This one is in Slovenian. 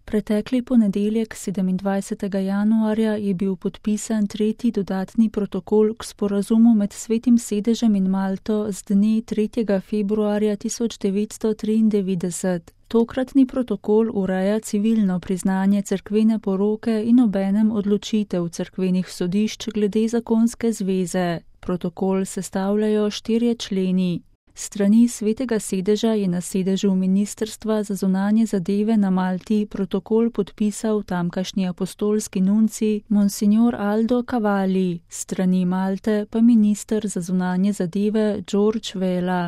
Pretekli ponedeljek, 27. januarja, je bil podpisan tretji dodatni protokol k sporazumu med Svetim sedežem in Malto z dne 3. februarja 1993. Tokratni protokol ureja civilno priznanje cerkvene poroke in obenem odločitev cerkvenih sodišč glede zakonske zveze. Protokol sestavljajo 4 členi. S strani Svetega sedeža je na sedežu Ministrstva za zunanje zadeve na Malti protokol podpisal tamkajšnji apostolski nuncij Monsignor Aldo Cavalli, s strani Malte pa minister za zunanje zadeve George Vela.